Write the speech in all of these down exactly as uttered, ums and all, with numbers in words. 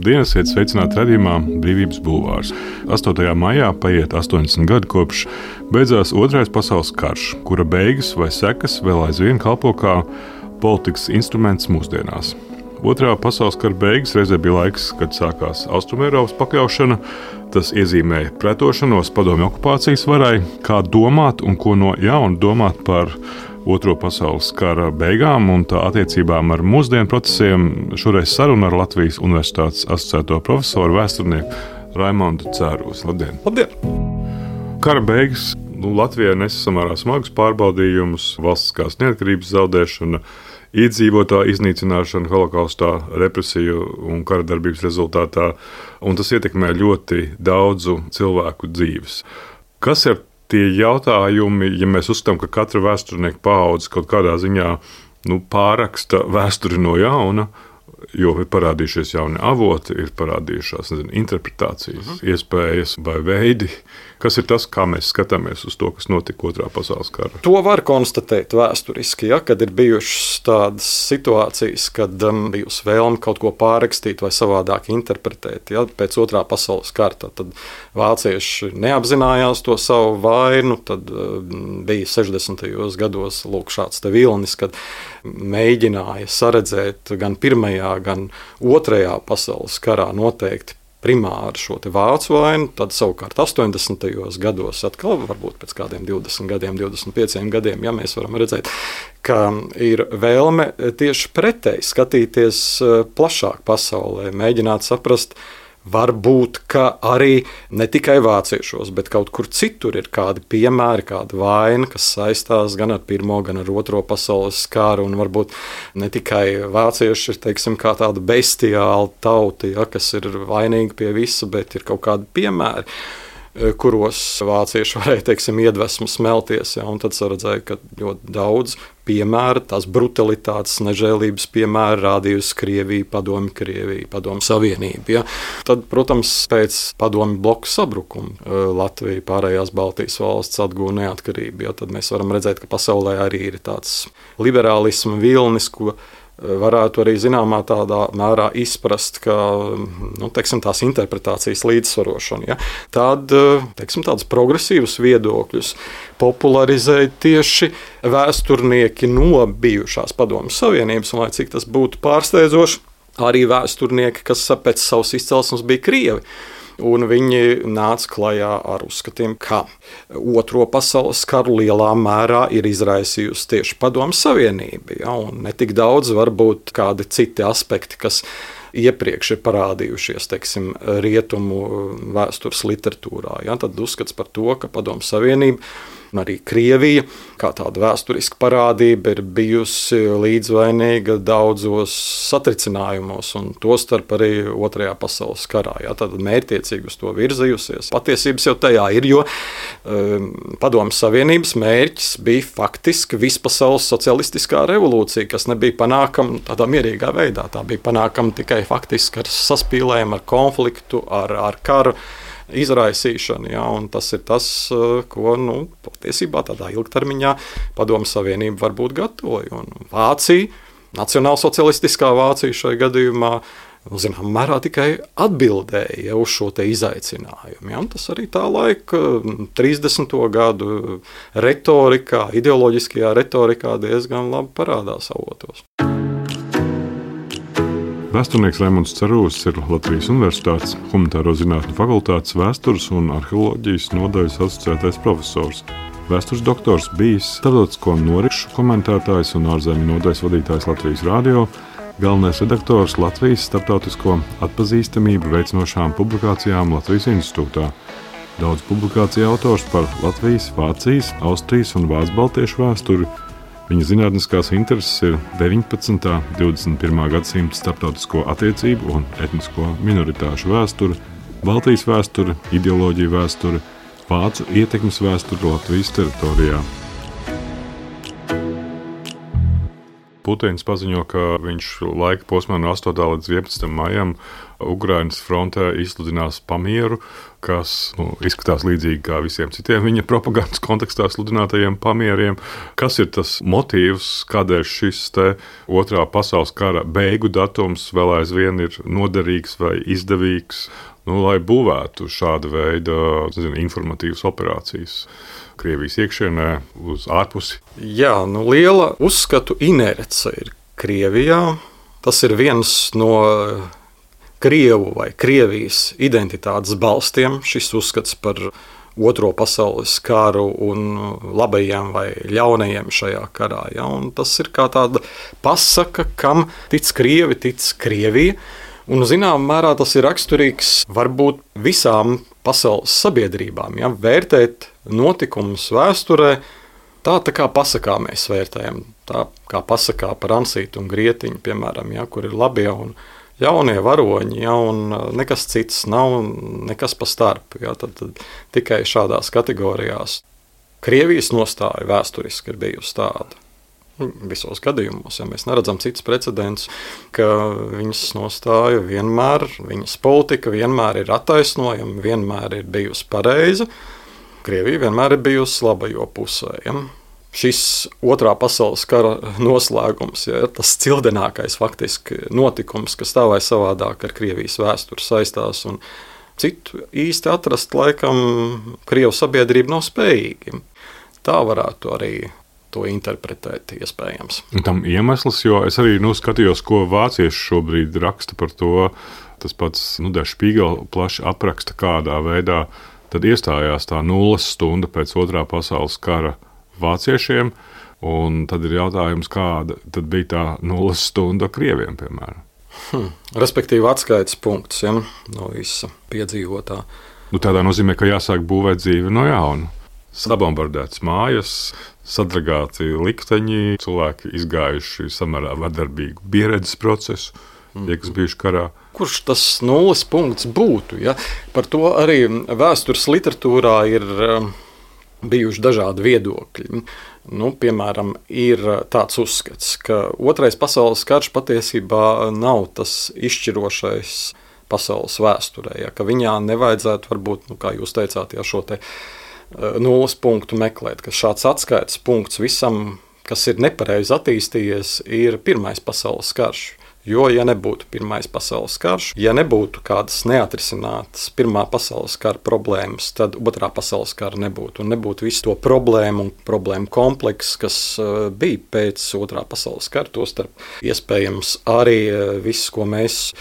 Labdien, esiet sveicināti redzījumā Brīvības bulvārs. astotajā maijā paiet astoņdesmit gadi kopš beidzās Otrais pasaules karš, kura beigas vai sekas vēl aizvien kalpo kā politikas instruments mūsdienās. Otrā pasaules kara beigas reizē bija laiks, kad sākās Austrumēropas pakļaušana. Tas iezīmēja pretošanos padomju okupācijas varai, kā domāt un ko no jauna domāt par Otro pasaules kara beigām un tā attiecībām ar mūsdienu procesiem. Šoreiz saruna ar Latvijas Universitātes asociēto profesoru vēsturnieku Raimondu Cērusi. Labdien! Labdien! Kara beigas nu, Latvijai nesa samērā smagus pārbaudījumus, valstiskās neatkarības zaudēšana, iedzīvotāju iznīcināšana holokaustā, represiju un kara darbības rezultātā, un tas ietekmē ļoti daudzu cilvēku dzīves. Kas ir tie jautājumi, ja mēs uzskatām, ka katra vēsturnieka paudze kaut kādā ziņā nu, pārraksta vēsturi no jauna, jo ir parādījušies jauni avoti, ir parādījušās nezinu, interpretācijas, uh-huh. iespējas vai veidi. Kas ir tas, kā mēs skatāmies uz to, kas notika Otrā pasaules kara? To var konstatēt vēsturiski, ja, kad ir bijušas tādas situācijas, kad um, bijusi vēlme kaut ko pārrakstīt vai savādāk interpretēt. Ja, pēc Otrā pasaules kara tad vācieši neapzinājās to savu vainu, tad um, bija sešdesmitajos gados lūk, šāds te vilnis, kad mēģināja saredzēt gan Pirmajā, gan Otrajā pasaules karā noteikti primāri šo te vācu vainu, tad savukārt astoņdesmitajos gados atkal, varbūt pēc kādiem divdesmit gadiem, divdesmit pieciem gadiem, ja mēs varam redzēt, ka ir vēlme tieši pretēji skatīties plašāk pasaulē, mēģināt saprast, varbūt, ka arī ne tikai vāciešos, bet kaut kur citur ir kādi piemēri, kāda vaina, kas saistās gan ar Pirmo, gan ar Otro pasaules karu, un varbūt ne tikai vācieši ir, teiksim, kā tāda bestiāla tauta, ja, kas ir vainīga pie visa, bet ir kaut kādi piemēri, kuros vācieši varēja, teiksim, iedvesmu smelties, ja, un tad saredzēja, ka ļoti daudz piemēru, tās brutalitātes, nežēlības piemēru rādījusi Krievija, Padomju Krievija, Padomju Savienība. Ja. Tad, protams, pēc Padomju bloku sabrukuma Latvija, pārējās Baltijas valsts atguva neatkarību. Ja. Tad mēs varam redzēt, ka pasaulē arī ir tāds liberālisma vilnis, ko varētu arī zināmā tādā mērā izprast, ka nu, teiksim, tās interpretācijas līdzsvarošana. Ja? Tad teiksim, tādus progresīvus viedokļus popularizēja tieši vēsturnieki no bijušās Padomju Savienības, un lai cik tas būtu pārsteidzoši, arī vēsturnieki, kas pēc savas izcelsmes bija Krievi. Un viņi nāca klajā ar uzskatiem, ka Otro pasaules karu lielā mērā ir izraisījusi tieši Padomju Savienība. Ja, un ne tik daudz varbūt kādi citi aspekti, kas iepriekš ir parādījušies, teiksim, rietumu vēstures literatūrā. Ja, tad uzskats par to, ka Padomju Savienība un arī Krievija, kā tāda vēsturiska parādība, ir bijusi līdzvainīga daudzos satricinājumos, un tostarp arī Otrajā pasaules karā. Ja, tad mērķtiecīgi uz to virzījusies. Patiesības jau tajā ir, jo um, Padomju Savienības mērķis bija faktiski vispasaules socialistiskā revolūcija, kas nebija panākama tādā mierīgā veidā. Tā bija panākama tikai faktiski ar saspīlējumu, ar konfliktu, ar, ar karu izraisīšanu, ja, un tas ir tas, ko, nu, patiesībā tādā ilgtermiņā Padomju Savienība varbūt gatavoja. Un Vācija, nacionālsocialistiskā Vācija šajā gadījumā, nu, zinām, mērā tikai atbildēja uz šo te izaicinājumu. Ja, un tas arī tā laika trīsdesmito gadu retorikā, ideoloģiskajā retorikā diezgan labi parādās avotos. Vēsturnieks Raimonds Cērusis ir Latvijas Universitātes Humanitāro zinātņu fakultātes vēstures un arheoloģijas nodaļas asociētais profesors. Vēstures doktors, bijis starptautisko norišu komentētājs un ārzemju nodaļas vadītājs Latvijas radio, galvenais redaktors Latvijas starptautisko atpazīstamību veicinošām publikācijām Latvijas institūtā. Daudz publikāciju autors par Latvijas, Vācijas, Austrijas un Vācu-Baltiešu vēsturi. Viņa zinātniskās intereses ir deviņpadsmitā un divdesmit pirmā gadsimta starptautisko attiecību un etnisko minoritāšu vēsture, Baltijas vēsture, ideoloģija vēsture, vācu ietekmes vēsture Latvijas teritorijā. Putins paziņo, ka viņš laika posmā no astotā līdz vienpadsmitam maijam Ukrainas frontē izsludinās pamieru, kas nu, izskatās līdzīgi kā visiem citiem viņa propagandas kontekstā sludinātajiem pamieriem. Kas ir tas motīvs, kādēļ šis te otrā pasaules kara beigu datums vēl aizvien ir noderīgs vai izdevīgs, nu, lai būvētu šāda veida zinu, informatīvas operācijas Krievijas iekšienē uz ārpusi? Jā, nu, liela uzskatu inerce ir Krievijā. Tas ir viens no Krievu vai Krievijas identitātes balstiem, šis uzskats par Otro pasaules karu un labajiem vai ļaunajiem šajā karā. Ja? Un tas ir kā tāda pasaka, kam tic Krievi, tic Krievija. Un, zināmā mērā, tas ir raksturīgs varbūt visām pasaules sabiedrībām. Ja? Vērtēt notikumus vēsturē tā, tā kā pasakā mēs vērtējam. Tā kā pasakā par Ansītu un Grietiņu, piemēram, ja? Kur ir labie un ļaunie varoņi, ja? Un nekas cits nav, nekas pa starp. Ja? Tad, tad tikai šādās kategorijās Krievijas nostāja vēsturiski ir bijusi tāda. Visos gadījumos, ja mēs neredzam citus precedents, ka viņas nostāja vienmēr, viņas politika vienmēr ir attaisnojama, vienmēr ir bijusi pareiza. Krievija vienmēr ir bijusi labajo pusē. Ja? Šis Otrā pasaules kara noslēgums, ja, ir tas cildenākais faktiski notikums, kas tā vai savādāk ar Krievijas vēsturi saistās, un citu īsti atrast laikam Krievu sabiedrība nav spējīga. Tā varētu arī to interpretēt iespējams. Tam iemesls, jo es arī nu, skatījos, ko vācieši šobrīd raksta par to, tas pats nu, Der Spiegel plaši apraksta, kādā veidā tad iestājās tā nulles stunda pēc Otrā pasaules kara vāciešiem, un tad ir jautājums, kāda tad bija tā nulles stunda Krieviem, piemēram. Hmm. Respektīvi atskaites punkts, ja, no visa piedzīvotā. Nu, tādā nozīmē, ka jāsāk būvēt dzīvi no jauna. Sabombardētas mājas, sadragāti likteņi, cilvēki izgājuši samērā vardarbīgu pieredzes procesu, mm. tie, kas bijuši karā. Kurš tas nulles punkts būtu? Ja? Par to arī vēstures literatūrā ir bijuši dažādi viedokļi. Nu, piemēram, ir tāds uzskats, ka Otrais pasaules karš patiesībā nav tas izšķirošais pasaules vēsturē, ja? Ka viņā nevajadzētu varbūt, nu, kā jūs teicāt, ja šo te nulles punktu meklēt, ka šāds atskaites punkts visam, kas ir nepareizi attīstījies, ir Pirmais pasaules karš. Jo, ja nebūtu Pirmais pasaules karš, ja nebūtu kādas neatrisinātas Pirmā pasaules kara problēmas, tad Otrā pasaules kara nebūtu. Un nebūtu visu to problēmu un problēmu kompleksu, kas bija pēc Otrā pasaules kara, tostarp iespējams arī viss, ko mēs,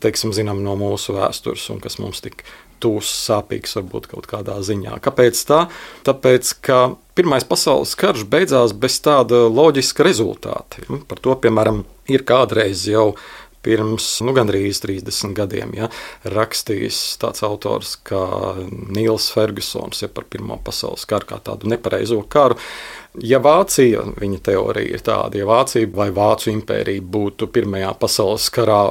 teiksim, zinām no mūsu vēstures un kas mums tik tūs sāpīgs varbūt kaut kādā ziņā. Kāpēc tā? Tāpēc, ka Pirmais pasaules karš beidzās bez tāda loģiska rezultāta. Par to, piemēram, ir kādreiz jau pirms nu, gandrīz trīsdesmit gadiem ja, rakstījis tāds autors kā Nīls Fergusons ja, par Pirmo pasaules karu kā tādu nepareizo karu. Ja Vācija, viņa teorija ir tāda, ja Vācija vai Vācu impērija būtu Pirmajā pasaules karā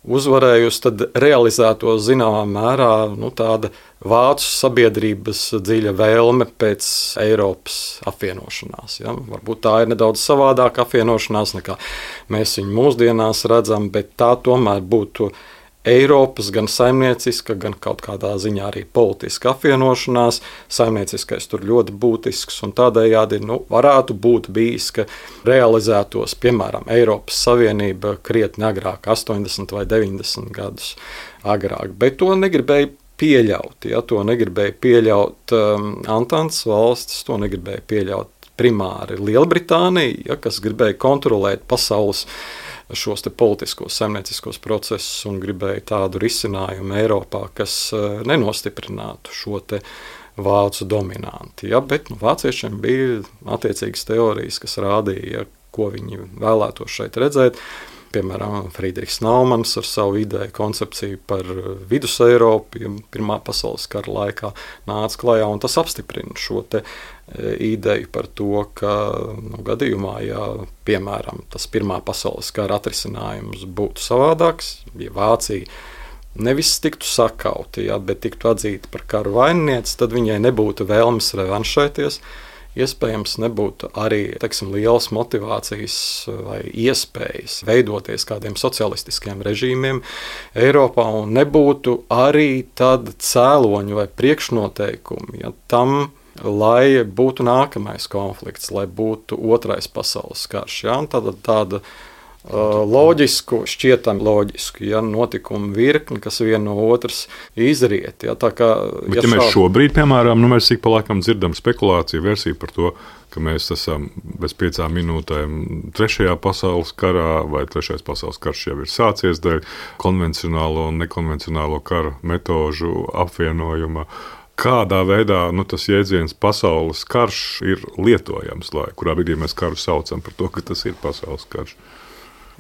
uzvarējusi, tad realizētos zināmā mērā nu, tāda vācu sabiedrības dziļa vēlme pēc Eiropas apvienošanās. Ja? Varbūt tā ir nedaudz savādāka apvienošanās, nekā mēs viņu mūsdienās redzam, bet tā tomēr būtu Eiropas gan saimnieciska, gan kaut kādā ziņā arī politiska apvienošanās. Saimnieciskais tur ļoti būtisks un tādējādi nu, varētu būt bijis, ka realizētos, piemēram, Eiropas Savienība krietni agrāk, astoņdesmit vai deviņdesmit gadus agrāk, bet to negribēja pieļaut. Ja? To negribēja pieļaut um, Antantes valstis, to negribēja pieļaut primāri Lielbritānija, ja? Kas gribēja kontrolēt pasaules šos te politiskos, saimnieciskos procesus un gribēja tādu risinājumu Eiropā, kas nenostiprinātu šo te vācu dominanti. Ja, bet nu, vāciešiem bija attiecīgas teorijas, kas rādīja, ko viņi vēlētos šeit redzēt. Piemēram, Friedrichs Naumans ar savu ideju koncepciju par Vidus Eiropu, ja Pirmā pasaules kara laikā nāca klajā, un tas apstiprina šo te ideju par to, ka nu, gadījumā, ja, piemēram, tas Pirmā pasaules kara atrisinājums būtu savādāks, ja Vācija nevis tiktu sakauti, ja, bet tiktu atzīta par karu vaininieci, tad viņai nebūtu vēlmes revanšēties, iespējams nebūtu arī teiksim, lielas motivācijas vai iespējas veidoties kādiem socialistiskiem režīmiem Eiropā, un nebūtu arī tāda cēloņu vai priekšnoteikumi ja, tam, lai būtu nākamais konflikts, lai būtu otrais pasaules karš. Ja? Tāda, tāda uh, loģisku, šķietam loģisku ja? notikumu virkni, kas viena no otras izriet. Ja? Tā kā, Bet, ja ja mēs šādi... šobrīd, piemēram, nu, mēs ik pa laikam dzirdam spekulāciju versiju par to, ka mēs esam bez piecām minūtēm trešajā pasaules karā, vai trešais pasaules karš jau ir sācies dēļ konvencionālo un nekonvencionālo kara metožu apvienojuma. Kādā veidā nu, tas jēdziens pasaules karš ir lietojams, lai kurā brīdī mēs karu saucam par to, ka tas ir pasaules karš?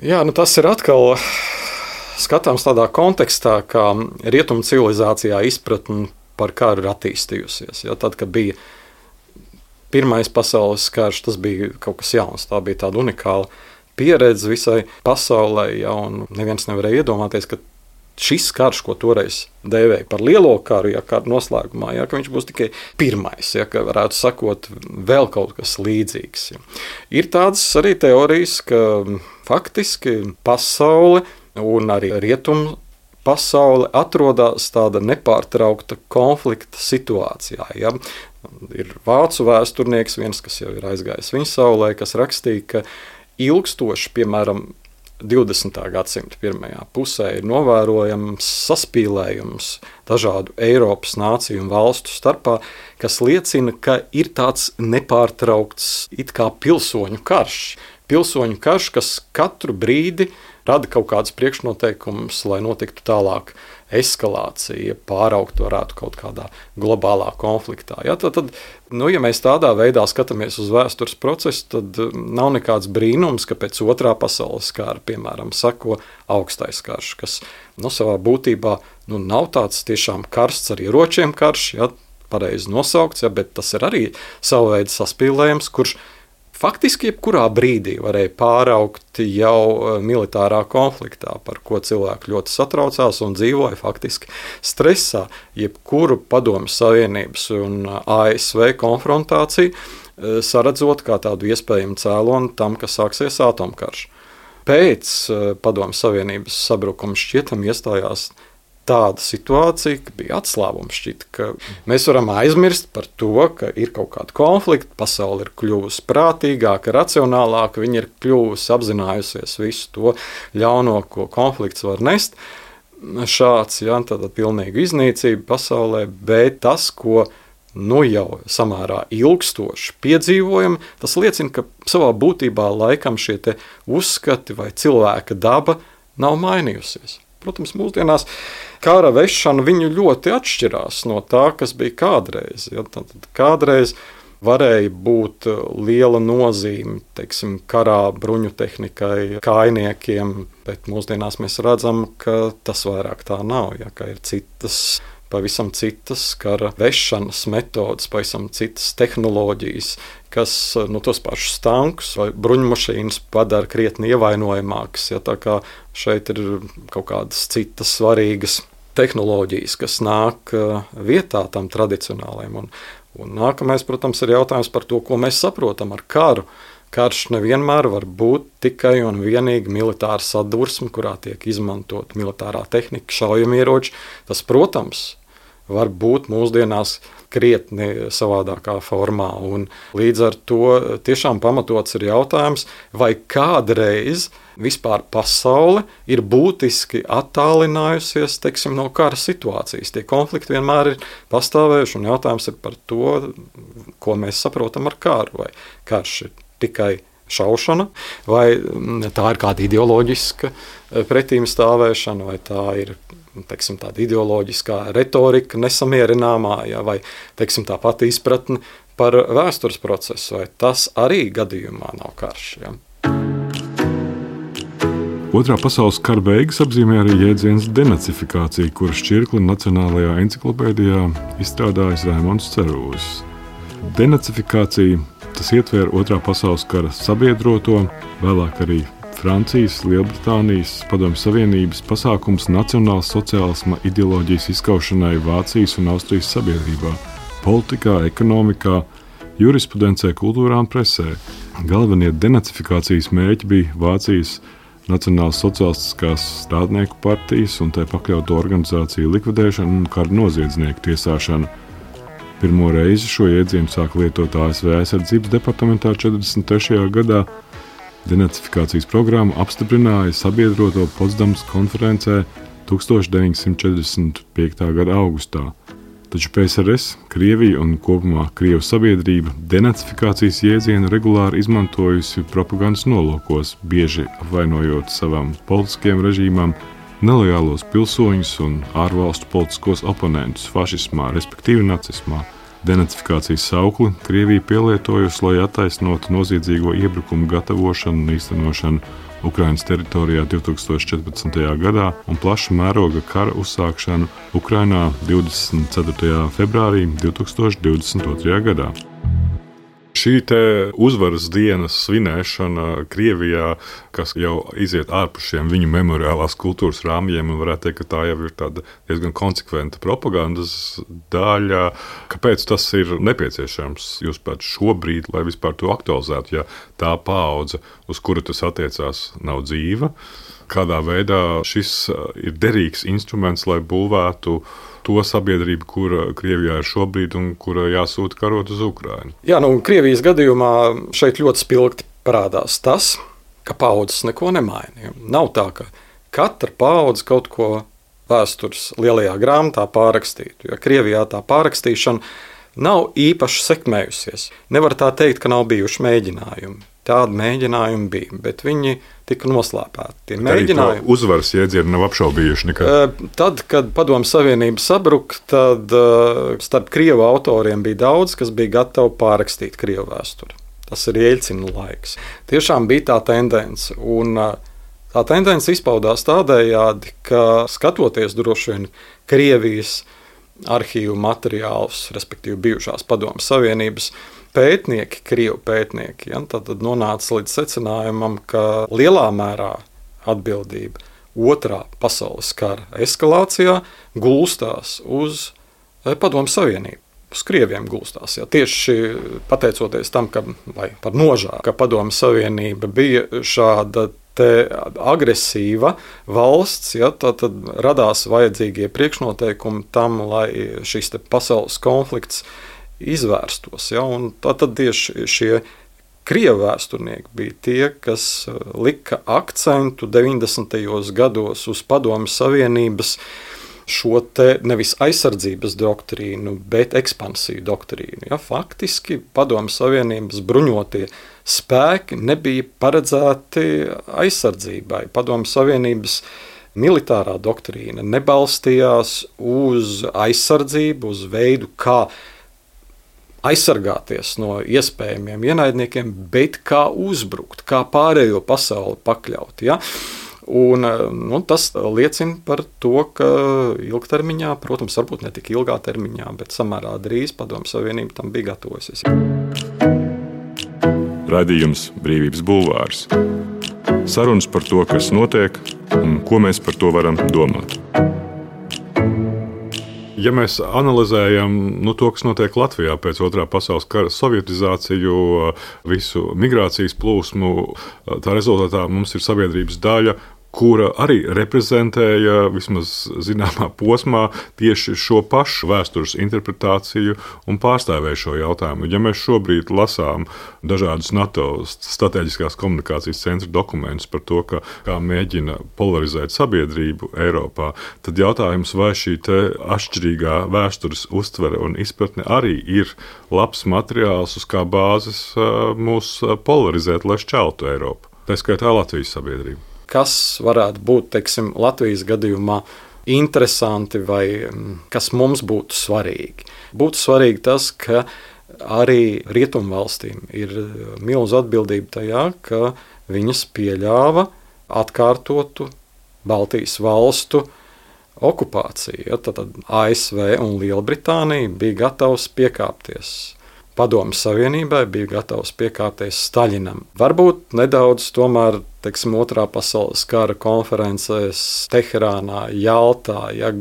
Jā, nu tas ir atkal skatāms tādā kontekstā, kā rietumu civilizācijā izpratne par karu ir attīstījusies. Ja, tad, kad bija pirmais pasaules karš, tas bija kaut kas jauns, tā bija tāda unikāla pieredze visai pasaulē, ja, un neviens nevarēja iedomāties, ka šis karš, ko toreiz dēvēja par lielo karu, ja kāda noslēgumā, ja, ka viņš būs tikai pirmais, ja, ka varētu sakot vēl kaut kas līdzīgs. Ja. Ir tādas arī teorijas, ka faktiski pasaule un arī rietumu pasaule atrodas tāda nepārtraukta konflikta situācijā. Ja. Ir vācu vēsturnieks, viens, kas jau ir aizgājis viņa saulē, kas rakstīja, ka ilgstoši, piemēram, divdesmitā gadsimta pirmajā pusē ir novērojams saspīlējums dažādu Eiropas nāciju un valstu starpā, kas liecina, ka ir tāds nepārtraukts it kā pilsoņu karš. Pilsoņu karš, kas katru brīdi rada kaut kādas priekšnoteikumus, lai notiktu tālāk eskalācija, pāraugt varētu kaut kādā globālā konfliktā. Ja, tad, tad, nu, ja mēs tādā veidā skatāmies uz vēstures procesu, tad nav nekāds brīnums, ka pēc otrā pasaules kara, piemēram, sako augstais karš, kas nu, savā būtībā nu, nav tāds tiešām karsts ar ieročiem karš, ja, pareizi nosaukts, ja, bet tas ir arī savu veidu saspīlējums, kurš faktiski jebkurā brīdī varēja pāraukt jau militārā konfliktā, par ko cilvēki ļoti satraucās un dzīvoja faktiski stresā. Jebkuru Padomju Savienības un A S V konfrontāciju saredzot kā tādu iespējamu cēloni tam, ka sāksies atomkarš. Pēc Padomju Savienības sabrukuma šķietam iestājās tāda situācija, ka bija atslābums šķita, ka mēs varam aizmirst par to, ka ir kaut kāda konflikta, pasaule ir kļuvusi prātīgāka, racionālāka, viņa ir kļuvusi apzinājusies visu to ļauno, ko konflikts var nest. Šāds, ja, tāda pilnīga iznīcība pasaulē, bet tas, ko nu jau samērā ilgstoši piedzīvojam, tas liecina, ka savā būtībā laikam šie te uzskati vai cilvēka daba nav mainījusies. Protams, mūsdienās kara vešana viņu ļoti atšķirās no tā, kas bija kādreiz. Ja, tad kādreiz varēja būt liela nozīme, teiksim, karā, bruņu tehnikai, kājniekiem, bet mūsdienās mēs redzam, ka tas vairāk tā nav, ja, ka ir citas, pavisam citas kara vešanas metodas, pavisam citas tehnoloģijas, kas nu, tos pašus tankus vai bruņmašīnas padara krietni ievainojamākas. Ja, tā kā šeit ir kaut kādas citas svarīgas tehnoloģijas, kas nāk vietā tam tradicionālajiem. Un, un nākamais, protams, ir jautājums par to, ko mēs saprotam ar karu. Karš nevienmēr var būt tikai un vienīgi militāra sadursme, kurā tiek izmantot militārā tehnika, šaujamieroči. Tas, protams, var būt mūsdienās krietni savādākā formā. Un līdz ar to tiešām pamatots ir jautājums, vai kādreiz vispār pasaule ir būtiski attālinājusies, teiksim, no kara situācijas. Tie konflikti vienmēr ir pastāvējuši, un jautājums ir par to, ko mēs saprotam ar karu. Vai karš ir tikai šaušana, vai tā ir kāda ideoloģiska pretīm stāvēšana, vai tā ir teiksim, tāda ideoloģiskā retorika nesamierināmā, ja, vai teiksim, tā pati izpratne par vēstures procesu, vai tas arī gadījumā nav karš. Ja. Otrā pasaules kara beigas apzīmē arī jēdziens denacifikācija, kuru šķirkli Nacionālajā enciklopēdijā izstrādājis Raimonds Cerūzis. Denacifikācija tas ietver Otrā pasaules kara sabiedroto, vēlāk arī Francijas, Lielbritānijas, Padomju Savienības pasākums nacionāls sociālisma ideoloģijas izskaušanai Vācijas un Austrijas sabiedrībā, politikā, ekonomikā, jurisprudencē, kultūrā un presē. Galvenie denacifikācijas mērķi bija Vācijas Nacionālās sociālistiskās strādnieku partijas un tai pakļautu organizāciju likvidēšana un kara noziedznieku tiesāšana. Pirmo reizi šo jēdzienu sāka lietot A S V aizsardzības departamentā četrdesmit trešajā gadā. Denacifikācijas programmu apstiprināja sabiedroto Potsdamas konferencē tūkstoš deviņsimt četrdesmit piektajā gada augustā. Taču P S R S, Krievija un kopumā Krievu sabiedrība denacifikācijas jēdzienu regulāri izmantojusi propagandas nolūkos, bieži apvainojot savām politiskiem režīmām nelojālos pilsoņus un ārvalstu politiskos oponentus fašismā, respektīvi nacismā. Denacifikācijas saukli Krievija pielietojusi, lai attaisnotu noziedzīgo iebrukumu gatavošanu un īstenošanu Ukrainas teritorijā divtūkstoš četrpadsmitajā gadā un plaša mēroga kara uzsākšanu Ukrainā divdesmit ceturtajā februārī divtūkstoš divdesmit otrajā gadā. Šī te uzvaras dienas svinēšana Krievijā, kas jau iziet ārpus šiem viņu memoriālās kultūras rāmjiem, un varētu teikt, ka tā jau ir tāda diezgan konsekventa propagandas daļa. Kāpēc tas ir nepieciešams, jūs pat šobrīd, lai vispār to aktualizētu, ja tā paudze, uz kuru tas attiecās, nav dzīva? Kādā veidā šis ir derīgs instruments, lai būvētu to sabiedrību, kura Krievijā ir šobrīd un kura jāsūta karot uz Ukrainu? Jā, nu, Krievijas gadījumā šeit ļoti spilgti parādās tas, ka paudzes neko nemaina. Nav tā, ka katra paudze kaut ko vēstures lielajā grāmatā pārrakstītu, jo Krievijā tā pārrakstīšana nav īpaši sekmējusies. Nevar tā teikt, ka nav bijuši mēģinājumi. Tādi mēģinājumi bija, bet viņi tika noslēpēti. Tie mēģinājumi uzvaras jēdzienu nav apšaubījuši nekad. Tad, kad Padomju Savienība sabruka, tad starp krievu autoriem bija daudz, kas bija gatavi pārrakstīt krievu vēsturi. Tas ir Jeļcina laiks. Tiešām bija tā tendence, un tā tendence izpaudās tādējādi, ka skatoties droši vien Krievijas arhīvu materiālus, respektīvi bijušās Padomju Savienības pētnieki, krievu pētnieki, ja, tad, tad nonāca līdz secinājumam, ka lielā mērā atbildība otrā pasaules kara eskalācijā gulstās uz Padomju Savienību. Uz krieviem gulstās. Ja. Tieši pateicoties tam, ka, vai par nožēlu, ka Padomju Savienība bija šāda te agresīva valsts, ja, tad, tad radās vajadzīgie priekšnoteikumi tam, lai šis te pasaules konflikts izvērstos. Ja, un tad tieši šie krievu vēsturnieki bija tie, kas lika akcentu deviņdesmitajos gados uz Padomju Savienības šo te nevis aizsardzības doktrīnu, bet ekspansiju doktrīnu. Ja, faktiski Padomju Savienības bruņotie spēki nebija paredzēti aizsardzībai. Padomju Savienības militārā doktrīna nebalstījās uz aizsardzību, uz veidu, kā aizsargāties no iespējamiem ienaidniekiem, bet kā uzbrukt, kā pārējo pasauli pakļaut. Ja? Un, nu, tas liecina par to, ka ilgtermiņā, protams, varbūt ne tik ilgā termiņā, bet samērā drīz Padomju Savienība tam bija gatavojusies. Raidījums Brīvības bulvārs. Sarunas par to, kas notiek un ko mēs par to varam domāt. Ja mēs analizējam nu, to, kas notiek Latvijā pēc otrā pasaules kara, sovietizāciju, visu migrācijas plūsmu, tā rezultātā mums ir sabiedrības daļa, kura arī reprezentēja vismaz zināmā posmā tieši šo pašu vēstures interpretāciju un pārstāvēja šo jautājumu. Ja mēs šobrīd lasām dažādus NATO strateģiskās komunikācijas centra dokumentus par to, ka, kā mēģina polarizēt sabiedrību Eiropā, tad jautājums, vai šī te atšķirīgā vēstures uztvere un izpratne arī ir labs materiāls, uz kā bāzes mūs polarizēt, lai šķeltu Eiropu. Tā skaitā Latvijas sabiedrību. Kas varētu būt, teiksim, Latvijas gadījumā interesanti vai kas mums būtu svarīgi. Būtu svarīgi tas, ka arī rietumvalstīm ir milzu atbildība tajā, ka viņas pieļāva atkārtotu Baltijas valstu okupāciju. Ja, tad A S V un Lielbritānija bija gatavs piekāpties Padomju Savienībai, bija gatavs piekāpties Staļinam. Varbūt nedaudz tomēr, teiksim, otrā pasaules kara konferencēs Teherānā, Jaltā, ja,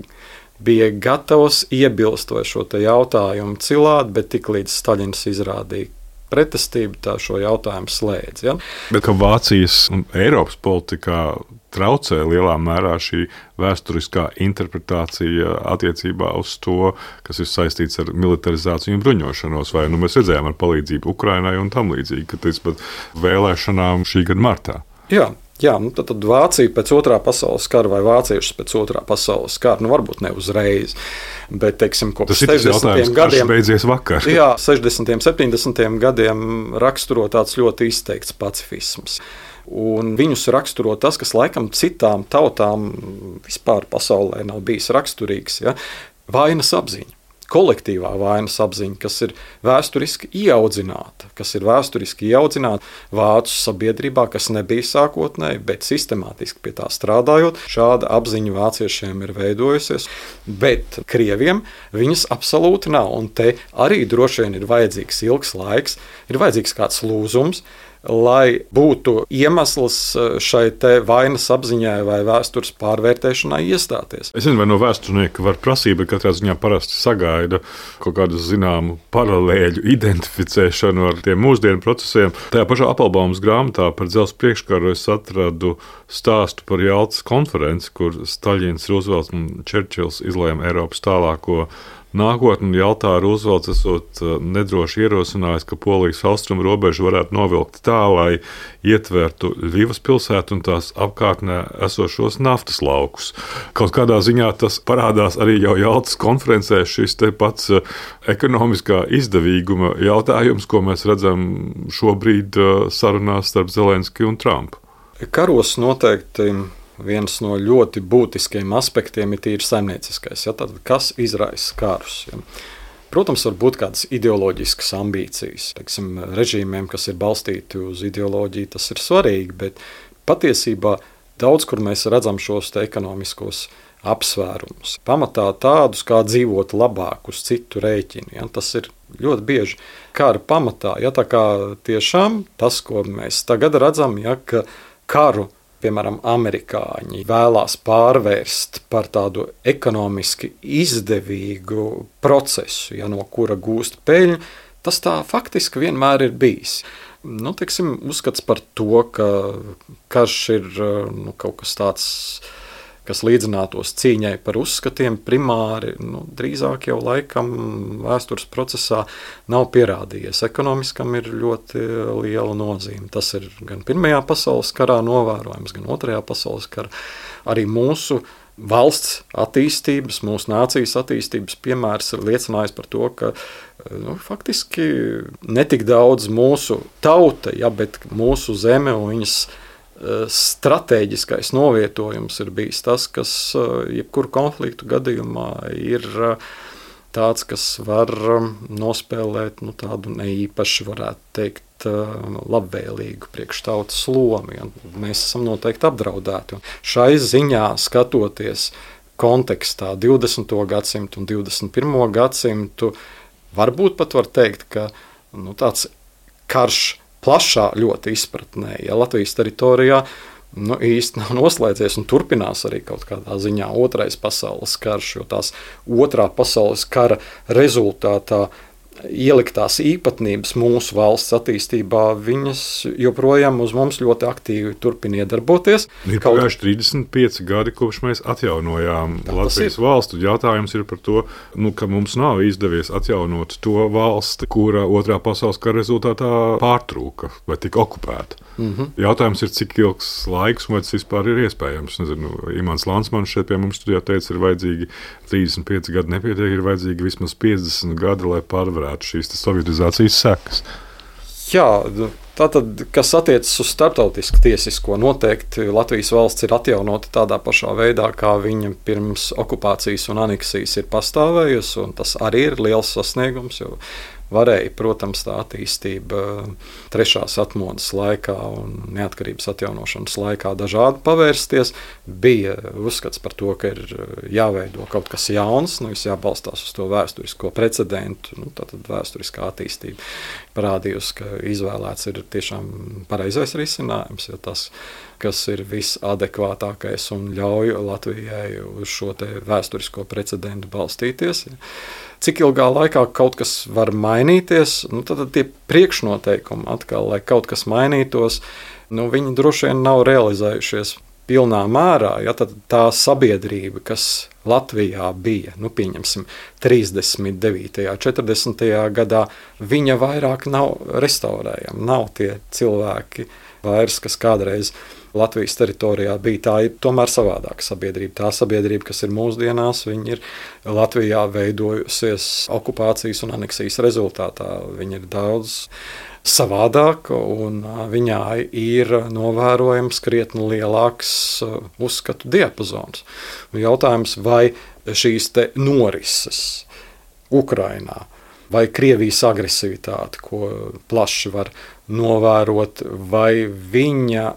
bija gatavs iebilst vai šo jautājumu cilāt, bet tiklīdz Staļins izrādīja pretestību, tā šo jautājumu slēdz. Ja? Bet ka Vācijas un Eiropas politikā traucē lielā mērā šī vēsturiskā interpretācija attiecībā uz to, kas ir saistīts ar militarizāciju un bruņošanos, vai nu mēs redzējām ar palīdzību Ukrainai un tam līdzīgi, ka tas pat vēlēšanām šī gada martā. Jā. Jā, nu tad, tad Vācija pēc otrā pasaules kara vai vāciešus pēc otrā pasaules kara, nu varbūt ne uzreiz, bet, teiksim, kopš sešdesmitiem gadiem, beidzies vakar. Jā, sešdesmitiem, septiņdesmitiem gadiem raksturo tāds ļoti izteikts pacifisms. Un viņus raksturo tas, kas laikam citām tautām vispār pasaulē nav bijis raksturīgs, ja? Vainas apziņa. Kolektīvā vainas apziņa, kas ir vēsturiski ieaudzināta, kas ir vēsturiski ieaudzināta vācu sabiedrībā, kas nebija sākotnēji, bet sistemātiski pie tā strādājot, šāda apziņa vāciešiem ir veidojusies, bet krieviem viņas absolūti nav, un te arī droši vien ir vajadzīgs ilgs laiks, ir vajadzīgs kāds lūzums, lai būtu iemesls šai te vainas apziņai vai vēstures pārvērtēšanai iestāties. Es nezinu, vai no vēsturnieka var prasīt, bet katrā ziņā parasti sagaida kaut kādu zināmu paralēļu identificēšanu ar tiem mūsdienu procesiem. Tajā pašā Appelbaumas grāmatā par dzelzceļa priekškaru es atradu stāstu par Jaltas konferenci, kur Staļins, Rūzvelts un Čerčils izlēma Eiropas tālāko nākotni. Jaltā Rūzvelts esot nedroši ierosinājis, ka Polijas austrumu robežu varētu novilkt tā, lai ietvertu Ļvivas pilsētu un tās apkārtnē esošos naftas laukus. Kaut kādā ziņā tas parādās arī jau Jaltas konferencē, šis te pats ekonomiskā izdevīguma jautājums, ko mēs redzam šobrīd sarunās starp Zelenski un Trumpu. Karos noteikti viens no ļoti būtiskiem aspektiem ir tīri saimnieciskais. Ja? Tad, kas izraisa karus? Ja? Protams, var būt kādas ideoloģiskas ambīcijas. Teiksim, režīmiem, kas ir balstīti uz ideoloģiju, tas ir svarīgi, bet patiesībā daudz, kur mēs redzam šos te ekonomiskos apsvērumus. Pamatā tādus, kā dzīvot labāk uz citu rēķinu. Ja? Tas ir ļoti bieži kara pamatā. Ja? Tā kā tiešām tas, ko mēs tagad redzam, ja? Ka karu piemēram, amerikāņi vēlās pārvērst par tādu ekonomiski izdevīgu procesu, ja, no kura gūst peļņu, tas tā faktiski vienmēr ir bijis. Nu, teiksim, uzskats par to, ka karš ir nu, kaut kas tāds, kas līdzinātos cīņai par uzskatiem primāri, nu, drīzāk jau laikam vēstures procesā nav pierādījies. Ekonomiskam ir ļoti liela nozīme. Tas ir gan Pirmajā pasaules karā novērojams, gan Otrajā pasaules karā. Arī mūsu valsts attīstības, mūsu nācijas attīstības piemērs ir liecinājis par to, ka nu, faktiski netik daudz mūsu tauta, ja, bet mūsu zeme un viņas stratēģiskais novietojums ir bijis tas, kas jebkuru konfliktu gadījumā ir tāds, kas var nospēlēt nu, tādu neīpaši, varētu teikt, labvēlīgu priekštautas lomu. Ja. Mēs esam noteikti apdraudēti. Un šai ziņā skatoties kontekstā divdesmito gadsimtu un divdesmit pirmo gadsimtu, varbūt pat var teikt, ka nu, tāds karš plašā ļoti izpratnē, ja Latvijas teritorijā nu, īsti nav noslēdzies un turpinās arī kaut kādā ziņā otrais pasaules karš, jo tās otrā pasaules kara rezultātā ieliktās īpatnības mūsu valsts attīstībā, viņas joprojām uz mums ļoti aktīvi turpina iedarboties. Ir kaut... pagājuši trīsdesmit pieci gadi, kopš mēs atjaunojām tā, Latvijas valstu. Jautājums ir par to, nu, ka mums nav izdevies atjaunot to valsti, kura otrā pasaules kara rezultātā pārtrūka vai tika okupēta. Mm-hmm. Jautājums ir, cik ilgs laiks, vai tas vispār ir iespējams. Nezinu, Imants Lansmans šeit pie mums studijā teica, ir vajadzīgi trīsdesmit pieci gadi nepietiek, ir vajadzīgi vismaz piecdesmit gadi, lai pārvarētu šīs sovietizācijas sekas. Jā, tātad, kas attiecas uz starptautisku tiesisko, noteikti Latvijas valsts ir atjaunota tādā pašā veidā, kā viņa pirms okupācijas un aneksijas ir pastāvējusi, un tas arī ir liels sasniegums, jo varēja, protams, tā attīstība trešās atmodas laikā un neatkarības atjaunošanas laikā dažādi pavērsties. Bija uzskats par to, ka ir jāveido kaut kas jauns, nu, jābalstās uz to vēsturisko precedentu. Nu, tātad vēsturiskā attīstība parādījusi, ka izvēlēts ir tiešām pareizais risinājums, jo tas kas ir visadekvātākais un ļauj Latvijai uz šo te vēsturisko precedentu balstīties. Cik ilgā laikā kaut kas var mainīties, nu, tad tie priekšnoteikumi atkal, lai kaut kas mainītos, nu, viņi droši vien nav realizējušies pilnā mērā. Ja, tad tā sabiedrība, kas Latvijā bija, nu, pieņemsim, trīsdesmit devītajā, četrdesmitajā gadā, viņa vairāk nav restaurējama. Nav tie cilvēki vairs, kas kādreiz Latvijas teritorijā bija. Tā ir tomēr savādāka sabiedrība. Tā sabiedrība, kas ir mūsdienās, viņa ir Latvijā veidojusies okupācijas un aneksijas rezultātā. Viņa ir daudz savādāk, un viņā ir novērojams krietni lielāks uzskatu diapazons. Jautājums, vai šīs te norises Ukrainā, vai Krievijas agresivitāte, ko plaši var novērot, vai viņa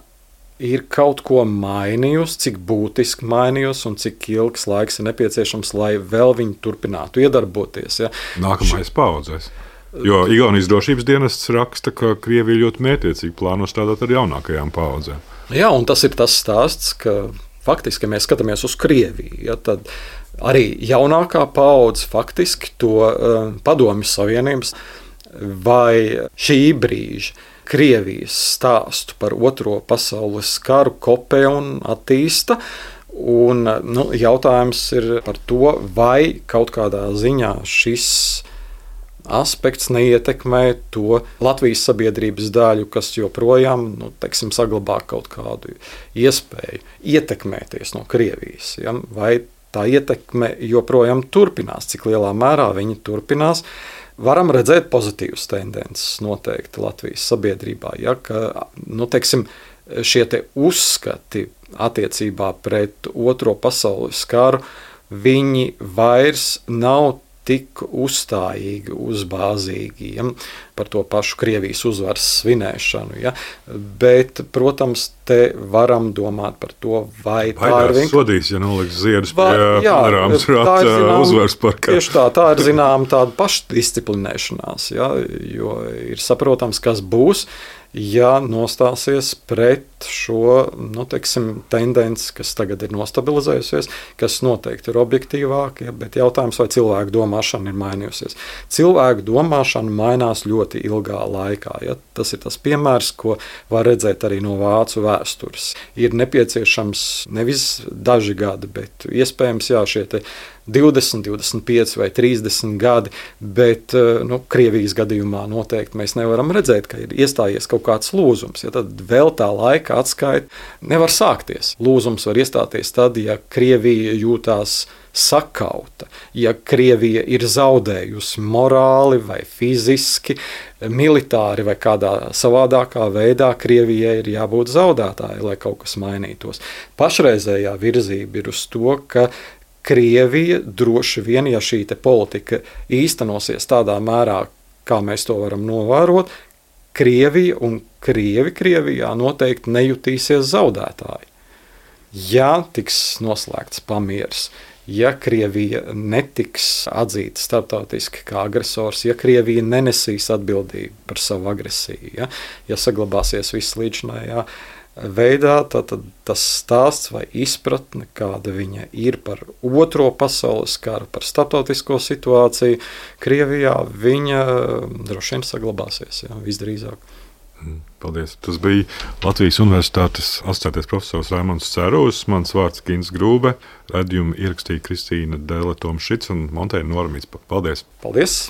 ir kaut ko mainījusi, cik būtiski mainījusi un cik ilgs laiks ir nepieciešams, lai vēl viņi turpinātu iedarboties. Ja? Nākamais paudzēs. Jo Igaunijas drošības dienests raksta, ka Krievija ļoti mērķiecīgi plāno strādāt ar jaunākajām paudzēm. Jā, un tas ir tas stāsts, ka faktiski, ja mēs skatāmies uz Krieviju, ja, tad arī jaunākā paudze faktiski to uh, Padomju Savienības vai šī brīža Krievijas stāstu par Otro pasaules karu kopē un attīsta. Un, nu, jautājums ir par to, vai kaut kādā ziņā šis aspekts neietekmē to Latvijas sabiedrības daļu, kas joprojām, nu, teiksim, saglabā kaut kādu iespēju ietekmēties no Krievijas. Ja? Vai tā ietekme joprojām turpinās, cik lielā mērā viņa turpinās. Varam redzēt pozitīvas tendences noteikti Latvijas sabiedrībā, ja? Ka, nu, teiksim, šie te uzskati attiecībā pret Otro pasaules karu, viņi vairs nav tik uzstājīgi, uzbāzīgi, ja, par to pašu Krievijas uzvaras svinēšanu. Ja. Bet, protams, te varam domāt par to, vai Baidās tā ir vienkārši... sodīs, ja noliks ziedus pie Rāmas rāta uzvaras parkā. Tieši tā, tā ir zinām tāda pašdisciplinēšanās, ja, jo ir saprotams, kas būs, ja nostāsies pret šo, nu, teiksim, tendenci, kas tagad ir nostabilizējusies, kas noteikti ir objektīvāk, ja, bet jautājums, vai cilvēku domāšana ir mainījusies. Cilvēku domāšana mainās ļoti ilgā laikā. Ja. Tas ir tas piemērs, ko var redzēt arī no vācu vēstures. Ir nepieciešams nevis daži gadi, bet iespējams, jā, šie te divdesmit, divdesmit pieci vai trīsdesmit gadi, bet nu, Krievijas gadījumā noteikti mēs nevaram redzēt, ka ir iestājies kaut kāds lūzums. Ja, tad vēl tā laika atskaita nevar sākties. Lūzums var iestāties tad, ja Krievija jūtās sakauta, ja Krievija ir zaudējusi morāli vai fiziski, militāri vai kādā savādākā veidā, Krievijai ir jābūt zaudētāji, lai kaut kas mainītos. Pašreizējā virzība ir uz to, ka Krievija droši vien, ja šī te politika īstenosies tādā mērā, kā mēs to varam novērot, Krievija un Krievi Krievijā noteikti nejutīsies zaudētāji. Ja tiks noslēgts pamieris, ja Krievija netiks atzīta starptautiski kā agresors, ja Krievija nenesīs atbildību par savu agresiju, ja, ja saglabāsies viss līdzinājā veidā, tad, tad tas stāsts vai izpratne, kāda viņa ir par Otro pasaules karu, par starptautisko situāciju Krievijā, viņa droši vien saglabāsies, jā, visdrīzāk. Paldies. Tas bija Latvijas Universitātes asociētais profesors Raimonds Cērūs, mans vārds Gins Grūbe, raidījumu ierakstīja Kristīna Dēle Tomšits un montēja Nora Micpa. Paldies! Paldies!